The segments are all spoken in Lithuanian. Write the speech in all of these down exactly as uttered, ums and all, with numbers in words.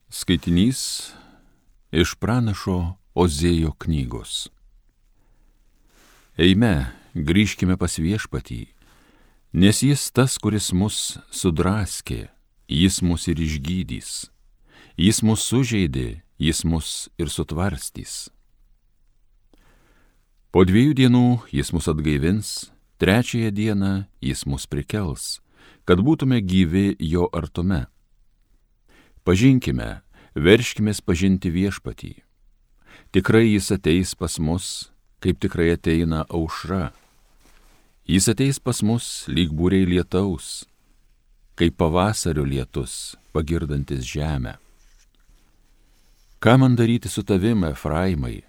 Skaitinys iš pranašo Ozėjo knygos. Eime, grįžkime pas Viešpatį, nes jis tas, kuris mus sudraskė, jis mus ir išgydys, jis mus sužeidė, jis mus ir sutvarstys. Po dviejų dienų jis mus atgaivins, trečiąją dieną jis mus prikels, kad būtume gyvi jo artume. Pažinkime, verškimės pažinti Viešpatį. Tikrai jis ateis pas mus, kaip tikrai ateina aušra. Jis ateis pas mus lyg būriai lietaus, kaip pavasario lietus, pagirdantis žemę. Ką man daryti su tavim, Efraimai?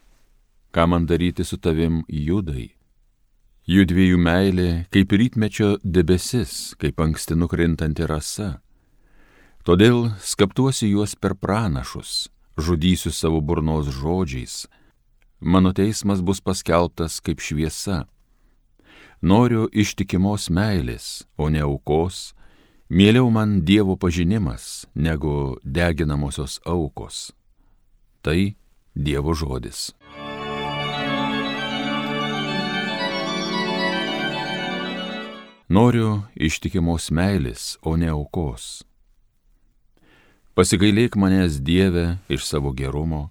Ką man daryti su tavim, Judai? Jų dviejų meilė kaip rytmečio debesis, kaip anksti nukrintanti rasa. Todėl skaptuosiu juos per pranašus, žudysiu savo burnos žodžiais. Mano teismas bus paskelbtas kaip šviesa. Noriu ištikimos meilės, o ne aukos. Mieliau man Dievo pažinimas, negu deginamosios aukos. Tai Dievo žodis. Noriu ištikimos meilės, o ne aukos. Pasigailėk manęs, Dieve, iš savo gerumo,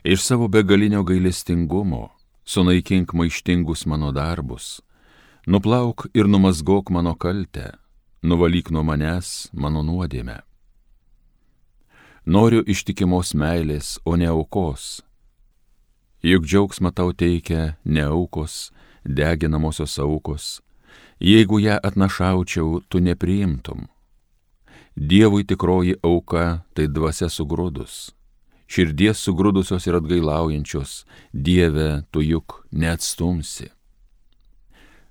iš savo begalinio gailestingumo, sunaikink maištingus mano darbus, nuplauk ir numazgok mano kaltę, nuvalyk nuo manęs mano nuodėmę. Noriu ištikimos meilės, o ne aukos. Juk džiaugsmą tau teikia ne aukos, deginamosios aukos. Jeigu ją atnašaučiau, tu nepriimtum. Dievui tikroji auka tai dvasia sugrūdus. Širdies sugrūdusios ir atgailaujančios, Dieve, tu juk neatstumsi.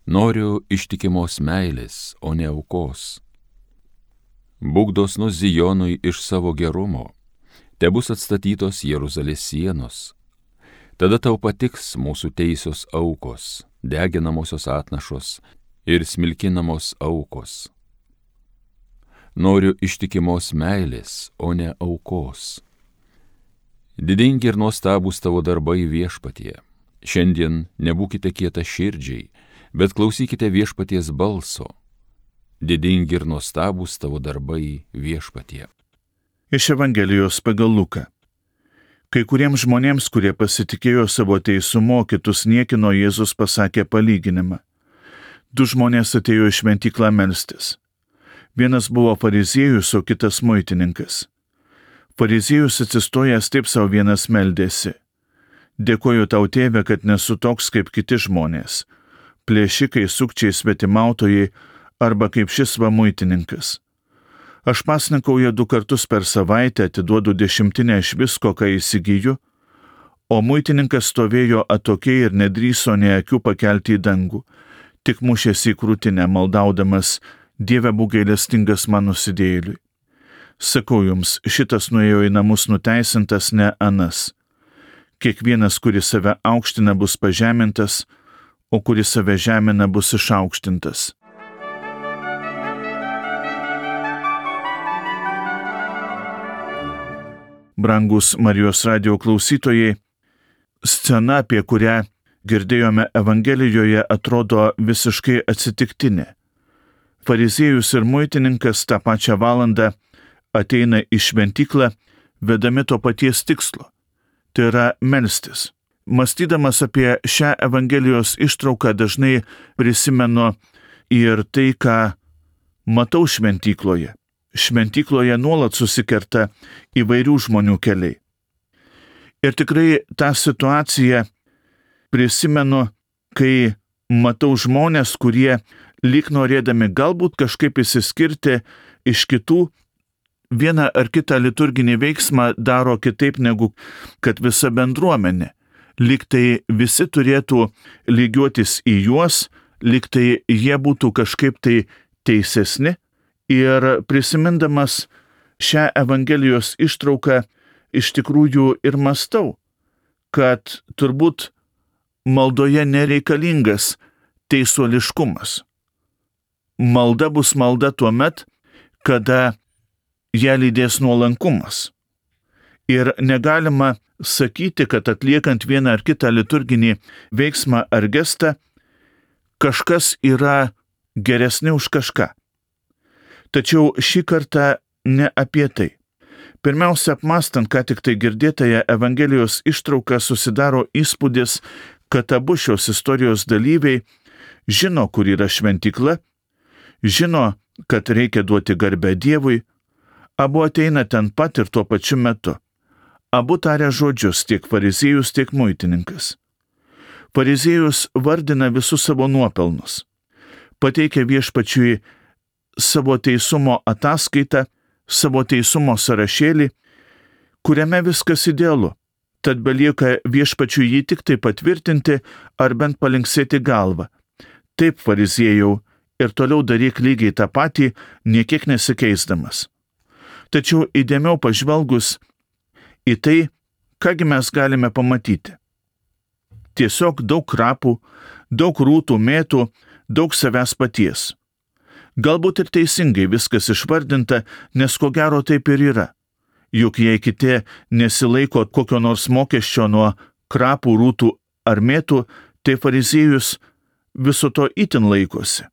Noriu ištikimos meilės, o ne aukos. Būk dosnus Zijonui iš savo gerumo, tebus atstatytos Jeruzalės sienos. Tada tau patiks mūsų teisios aukos, deginamosios atnašos ir smilkinamos aukos. Noriu ištikimos meilės, o ne aukos. Didingi ir nuostabūs tavo darbai Viešpatie. Šiandien nebūkite kieta širdžiai, bet klausykite Viešpaties balso. Didingi ir nuostabūs tavo darbai Viešpatie. Iš Evangelijos pagal Luką. Kai kuriems žmonėms, kurie pasitikėjo savo teisumu, kitus niekino, Jėzus pasakė palyginimą. Du žmonės atėjo į šventyklą melstis. Vienas buvo fariziejus, o kitas muitininkas. Fariziejus atsistojęs taip savo vienas meldėsi. Dėkoju tau, Tėve, kad nesu toks kaip kiti žmonės, plėšikai, sukčiai, svetimautojai arba kaip šis va muitininkas. Aš pasninkauju du kartus per savaitę, atiduodu dešimtinę iš visko, ką įsigyju, o muitininkas stovėjo atokiai ir nedrįso nė akių pakelti į dangų, tik mušėsi į krūtinę, maldaudamas: Dieve, būk gailestingas man nusidėjėliui. Sakau jums, šitas nuėjo į namus nuteisintas, ne anas. Kiekvienas, kuris save aukština, bus pažemintas, o kuris save žemina, bus išaukštintas. Brangus Marijos radijo klausytojai, scena, apie kurią girdėjome Evangelijoje, atrodo visiškai atsitiktinė. Fariziejus ir muitininkas tą pačią valandą ateina į šventyklą, vedami to paties tikslo. Tai yra melstis. Mąstydamas apie šią Evangelijos ištrauką, dažnai prisimenu ir tai, ką matau šventykloje. Šventykloje nuolat susikerta įvairių žmonių keliai. Ir tikrai tą situaciją prisimenu, kai matau žmonės, kurie lyg norėdami galbūt kažkaip išsiskirti iš kitų, vieną ar kitą liturginį veiksmą daro kitaip negu kad visa bendruomenė. Lyg tai visi turėtų lygiuotis į juos, lyg tai jie būtų kažkaip tai teisesni. Ir prisimindamas šią Evangelijos ištrauką, iš tikrųjų ir mąstau, kad turbūt maldoje nereikalingas teisuoliškumas. Malda bus malda tuomet, kada ją lydės nuolankumas. Ir negalima sakyti, kad atliekant vieną ar kitą liturginį veiksmą ar gestą, kažkas yra geresni už kažką. Tačiau šį kartą ne apie tai. Pirmiausia, apmąstant, ką tik tai girdėtąją Evangelijos ištrauką, susidaro įspūdis, kad abu šios istorijos dalyviai žino, kur yra šventykla, žino, kad reikia duoti garbę Dievui, abu ateina ten pat ir tuo pačiu metu. Abu taria žodžius, tiek fariziejus, tiek muitininkas. Fariziejus vardina visus savo nuopelnus, pateikia viešpačiui savo teisumo ataskaitą, savo teisumo sąrašėlį, kuriame viskas idealu, tad belieka viešpačiui jį tik tai patvirtinti ar bent palinksėti galvą. Taip, fariziejau, ir toliau daryk lygiai tą patį, niekiek nesikeisdamas. Tačiau įdėmiau pažvelgus į tai, kągi mes galime pamatyti. Tiesiog daug krapų, daug rūtų mėtų, daug savęs paties. Galbūt ir teisingai viskas išvardinta, nes ko gero taip ir yra. Juk jei kiti nesilaiko kokio nors mokesčio nuo krapų, rūtų ar mėtų, tai fariziejus viso to itin laikosi.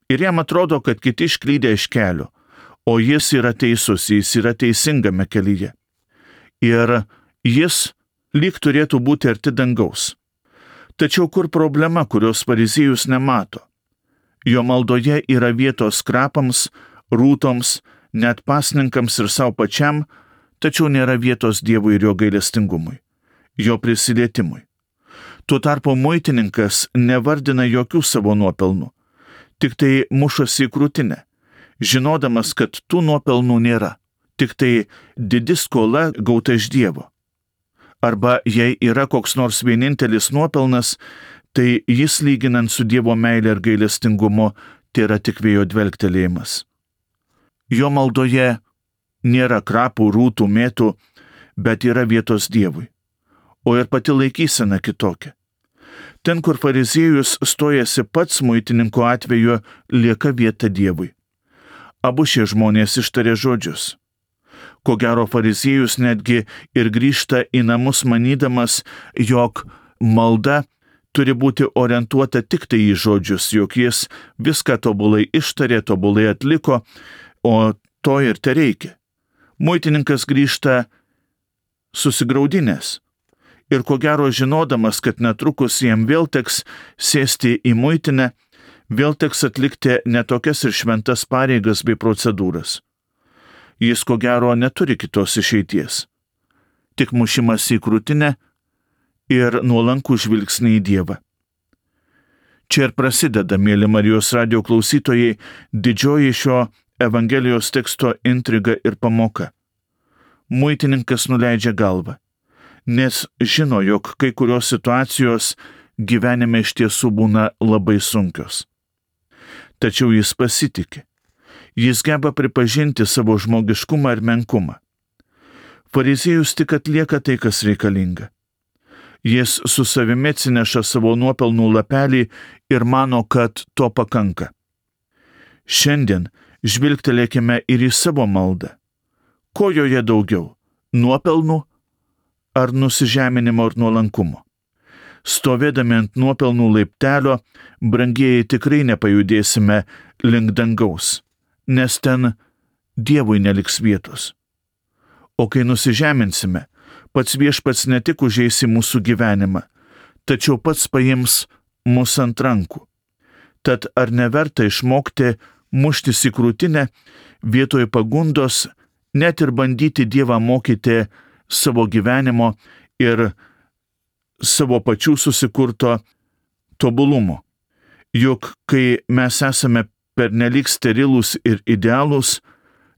Ir jam atrodo, kad kiti išklydė iš kelio, o jis yra teisus, jis yra teisingame kelyje. Ir jis lyg turėtų būti arti dangaus. Tačiau kur problema, kurios fariziejus nemato? Jo maldoje yra vietos krapams, rūtoms, net pasninkams ir savo pačiam, tačiau nėra vietos Dievui ir jo gailestingumui, jo prisilietimui. Tuo tarpu muitininkas nevardina jokių savo nuopelnų, tik tai mušasi į krūtinę, žinodamas, kad tų nuopelnų nėra, tik tai didi skola gauta iš Dievo. Arba jei yra koks nors vienintelis nuopelnas, tai jis lyginant su Dievo meile ir gailestingumu, tai yra tik vėjo dvelgtelėjimas. Jo maldoje nėra krapų, rūtų, mėtų, bet yra vietos Dievui, o ir pati laikysena kitokia. Ten, kur fariziejus stojasi pats, muitininko atveju lieka vieta Dievui. Abu šie žmonės ištarė žodžius. Ko gero fariziejus netgi ir grįžta į namus manydamas, jog malda turi būti orientuota tik tai į žodžius, jog jis viską tobulai ištarė, tobulai atliko, o to ir tereikia. Muitininkas grįžta susigraudinęs ir ko gero žinodamas, kad netrukus jam vėl teks sėsti į muitinę, vėl teks atlikti netokias ir šventas pareigas bei procedūras. Jis ko gero neturi kitos išeities, tik mušimas į krūtinę ir nuolankų žvilgsnį į Dievą. Čia ir prasideda, mėly Marijos radijo klausytojai, didžioji šio Evangelijos teksto intriga ir pamoka. Muitininkas nuleidžia galvą, nes žino, jog kai kurios situacijos gyvenime iš tiesų būna labai sunkios. Tačiau jis pasitiki. Jis geba pripažinti savo žmogiškumą ir menkumą. Fariziejus tik atlieka tai, kas reikalinga. Jis su savimi atsineša savo nuopelnų lapelį ir mano, kad to pakanka. Šiandien žvilgtelėkime ir į savo maldą. Ko joje daugiau - nuopelnų ar nusižeminimo ir nuolankumo? Stovėdami ant nuopelnų laiptelio, brangieji, tikrai nepajudėsime link dangaus, nes ten Dievui neliks vietos. O kai nusižeminsime, pats viešpats ne tik užeis į mūsų gyvenimą, tačiau pats paims mus ant rankų. Tad ar neverta išmokti muštis į krūtinę vietoj pagundos, net ir bandyti Dievą mokyti savo gyvenimo ir savo pačių susikurto tobulumo? Juk kai mes esame pernelyg sterilūs ir idealūs,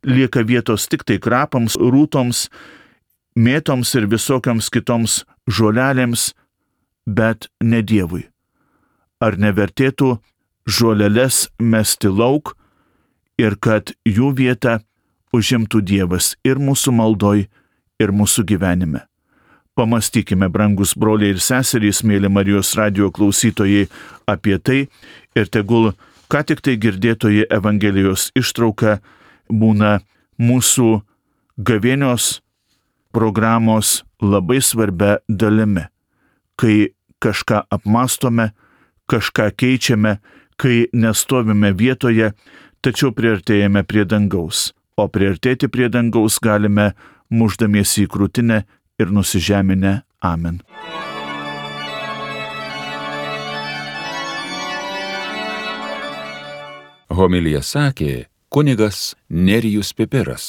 lieka vietos tik tai krapams, rūtoms, mėtoms ir visokiams kitoms žolelėms, bet ne Dievui. Ar nevertėtų žoleles mesti lauk ir kad jų vietą užimtų Dievas ir mūsų maldoj, ir mūsų gyvenime? Pamastykime, brangus broliai ir seserys, mėly Marijos radijo klausytojai, apie tai ir tegul ką tik tai girdėtoji Evangelijos ištrauka būna mūsų gavėnios programos labai svarbia dalimi, kai kažką apmastome, kažką keičiame, kai nestovime vietoje, tačiau priartėjame prie dangaus, o priartėti prie dangaus galime muždamiesi į krūtinę ir nusižeminę. Amen. Homiliją sakė kunigas Nerijus Pipiras.